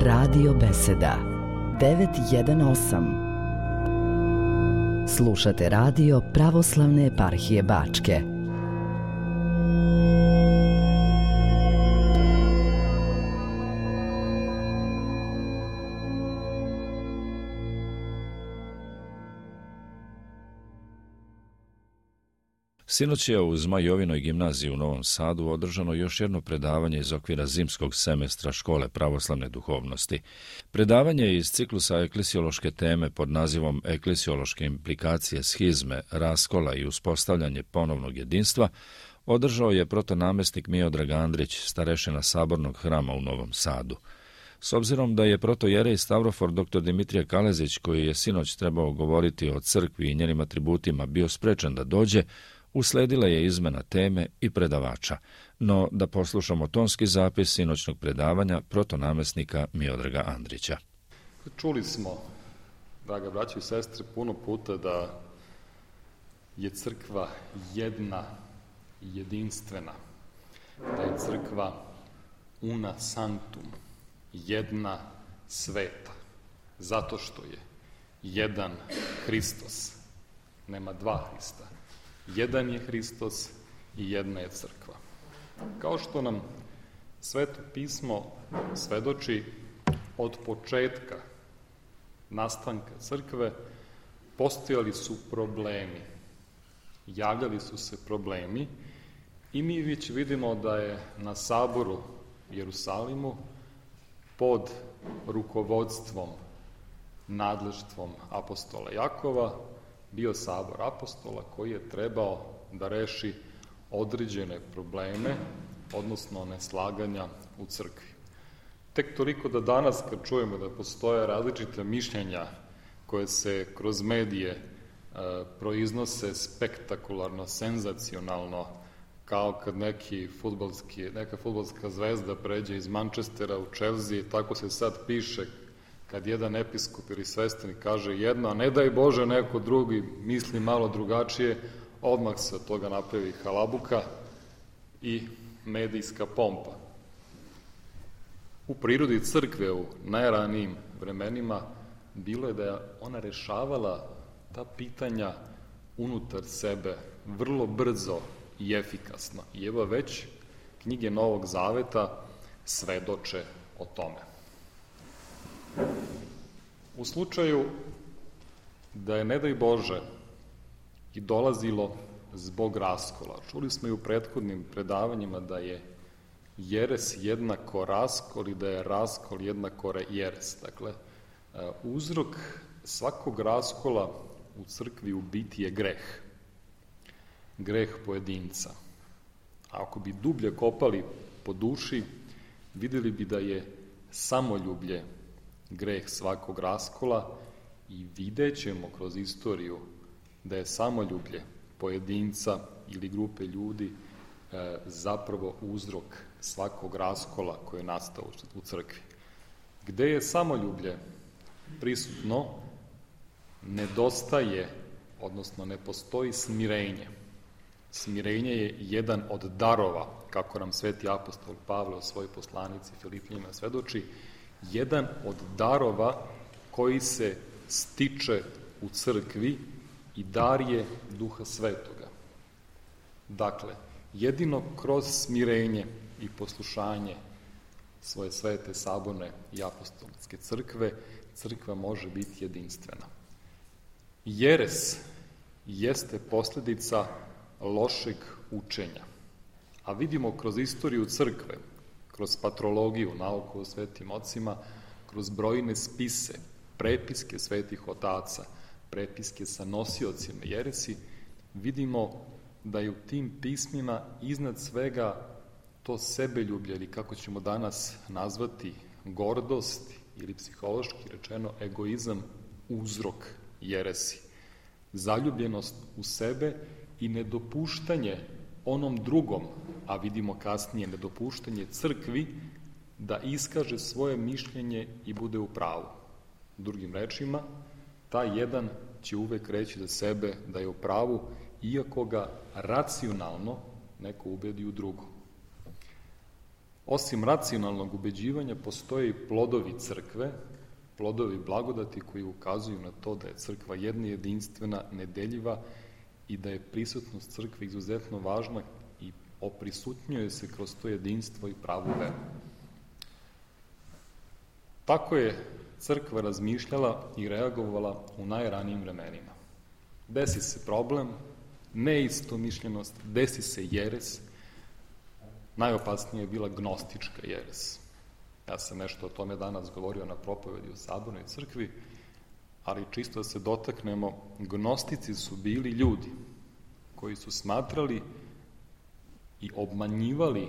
Radio Beseda 918. Slušate radio Pravoslavne eparhije Bačke. Sinoć je u Zmajovinoj gimnaziji u Novom Sadu održano još jedno predavanje iz okvira zimskog semestra Škole pravoslavne duhovnosti. Predavanje iz ciklusa eklesiološke teme pod nazivom Eklesiološke implikacije schizme, raskola i uspostavljanje ponovnog jedinstva održao je protonamestnik Miodrag Andrić, starešina Sabornog hrama u Novom Sadu. S obzirom da je protojerej Stavrofor dr. Dimitrije Kalezić, koji je sinoć trebao govoriti o crkvi i njenim atributima, bio sprečen da dođe, usledila je izmena teme i predavača, no da poslušamo tonski zapis sinoćnog predavanja protonamestnika Miodraga Andrića. Čuli smo, draga braćo i sestre, puno puta da je crkva jedna i jedinstvena, da je crkva una sanctum, jedna sveta, zato što je jedan Hristos, nema dva Hrista. Jedan je Hristos i jedna je crkva. Kao što nam Sveto pismo svedoči, od početka nastanka crkve postojali su problemi, javljali su se problemi i mi već vidimo da je na saboru u Jerusalimu pod rukovodstvom, nadleštvom apostola Jakova bio sabor apostola koji je trebao da reši određene probleme, odnosno neslaganja u crkvi. Tek toliko da danas kad čujemo da postoje različite mišljenja koje se kroz medije proiznose spektakularno, senzacionalno, kao kad neka fudbalska zvezda pređe iz Manchestera u Chelsea, tako se sad piše kad jedan episkop ili sveštenik kaže jedno, a ne daj Bože neko drugi misli malo drugačije, odmah se od toga napravi halabuka i medijska pompa. U prirodi crkve u najranijim vremenima bilo je da je ona rešavala ta pitanja unutar sebe vrlo brzo i efikasno. I evo već knjige Novog Zaveta svedoče o tome. U slučaju da je, ne daj Bože, i dolazilo zbog raskola, čuli smo i u prethodnim predavanjima da je jeres jednako raskol i da je raskol jednako jeres. Dakle, uzrok svakog raskola u crkvi u biti je greh. Greh pojedinca. A ako bi dublje kopali po duši, videli bi da je samoljublje greh svakog raskola i vidjet ćemo kroz istoriju da je samoljublje pojedinca ili grupe ljudi zapravo uzrok svakog raskola koji je nastao u crkvi. Gde je samoljublje prisutno, nedostaje, odnosno ne postoji smirenje. Smirenje je jedan od darova, kako nam sveti apostol Pavle u svojoj poslanici Filipljanima svedoči, jedan od darova koji se stiče u crkvi i dar je Duha Svetoga. Dakle, jedino kroz smirenje i poslušanje svoje svete, saborne i apostolske crkve, crkva može biti jedinstvena. Jeres jeste posljedica lošeg učenja. A vidimo kroz istoriju crkve, kroz patrologiju, nauku o svetim ocima, kroz brojne spise, prepiske svetih otaca, prepiske sa nosiocima jeresi, vidimo da je u tim pismima iznad svega to sebeljublje, ili kako ćemo danas nazvati gordost, ili psihološki rečeno egoizam, uzrok jeresi. Zaljubljenost u sebe i nedopuštanje onom drugom, a vidimo kasnije nedopuštanje crkvi, da iskaže svoje mišljenje i bude u pravu. Drugim rečima, taj jedan će uvek reći za sebe da je u pravu, iako ga racionalno neko ubedi u drugo. osim racionalnog ubeđivanja, postoje i plodovi crkve, plodovi blagodati koji ukazuju na to da je crkva jedna, jedinstvena, nedeljiva i da je prisutnost crkve izuzetno važna i oprisutnjuje se kroz to jedinstvo i pravu veru. Tako je crkva razmišljala i reagovala u najranijim vremenima. Desi se problem, neistomišljenost, desi se jeres. Najopasnije je bila gnostička jeres. Ja sam nešto o tome danas govorio na propovedi u Sabornoj crkvi, ali čisto da se dotaknemo, gnostici su bili ljudi koji su smatrali i obmanjivali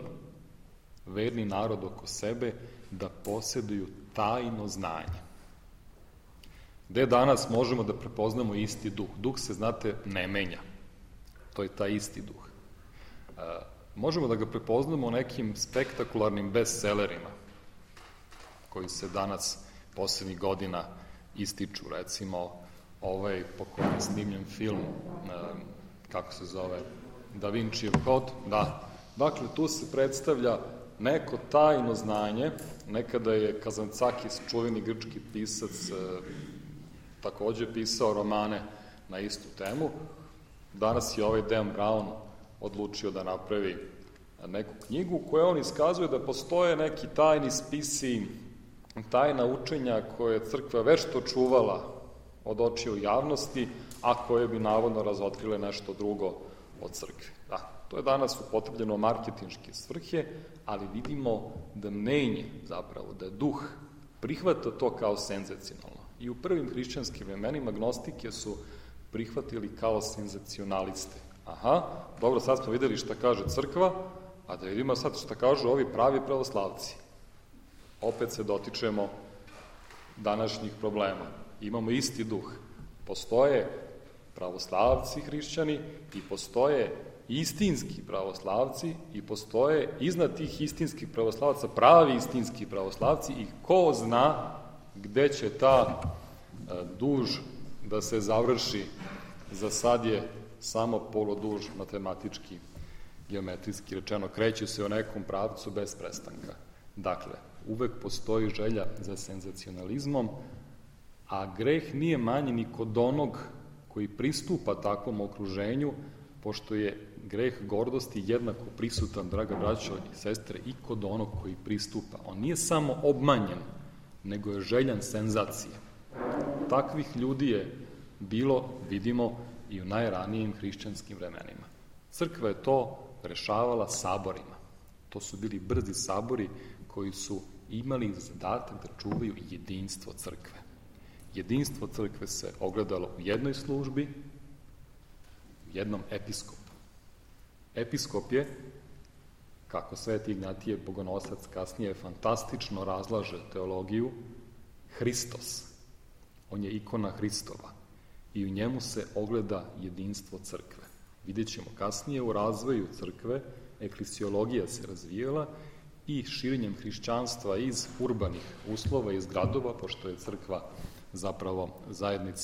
verni narod oko sebe da posjeduju tajno znanje. Gde danas možemo da prepoznamo isti duh? Duh se, znate, ne menja. To je taj isti duh. Možemo da ga prepoznamo u nekim spektakularnim bestsellerima koji se danas poslednjih godina ističu. Recimo, ovaj po kojem je snimljen film, kako se zove, Da Vincijev kod, da. Dakle, tu se predstavlja neko tajno znanje. Nekada je Kazancakis, čuveni grčki pisac, takođe pisao romane na istu temu. Danas je ovaj Dan Brown odlučio da napravi neku knjigu u kojoj on iskazuje da postoje neki tajni spisi, tajna učenja koje je crkva vešto čuvala od očiju javnosti, a koje bi navodno razotkrile nešto drugo od crkve. Da, to je danas upotrebljeno marketinške svrhe, ali vidimo da mnenje, zapravo, da duh prihvata to kao senzacionalno. I u prvim hrišćanskim vremenima gnostike su prihvatili kao senzacionaliste. Aha, dobro, sad smo videli šta kaže crkva, a da vidimo sad šta kažu ovi pravi pravoslavci. Opet se dotičemo današnjih problema. Imamo isti duh. Postoje pravoslavci hrišćani i postoje istinski pravoslavci i postoje iznad tih istinskih pravoslavaca pravi istinski pravoslavci i ko zna gde će ta duž da se završi. Za sad je samo poloduž matematički, geometrijski rečeno, kreće se u nekom pravcu bez prestanka. Dakle, uvek postoji želja za senzacionalizmom, a greh nije manji ni kod onog koji pristupa takvom okruženju, pošto je greh gordosti jednako prisutan, draga braćo i sestre, i kod onog koji pristupa. On nije samo obmanjen, nego je željan senzacije. Takvih ljudi je bilo, vidimo, i u najranijim hrišćanskim vremenima. Crkva je to rešavala saborima. To su bili brzi sabori koji su imali zadatak da čuvaju jedinstvo crkve. Jedinstvo crkve se ogledalo u jednoj službi, u jednom episkopu. Episkop je, kako Sveti Ignatije Bogonosac kasnije fantastično razlaže teologiju, Hristos. On je ikona Hristova i u njemu se ogleda jedinstvo crkve. Vidjet ćemo kasnije u razvoju crkve, eklesiologija se razvijela i širenjem hrišćanstva iz urbanih uslova, iz gradova, pošto je crkva zapravo zajednica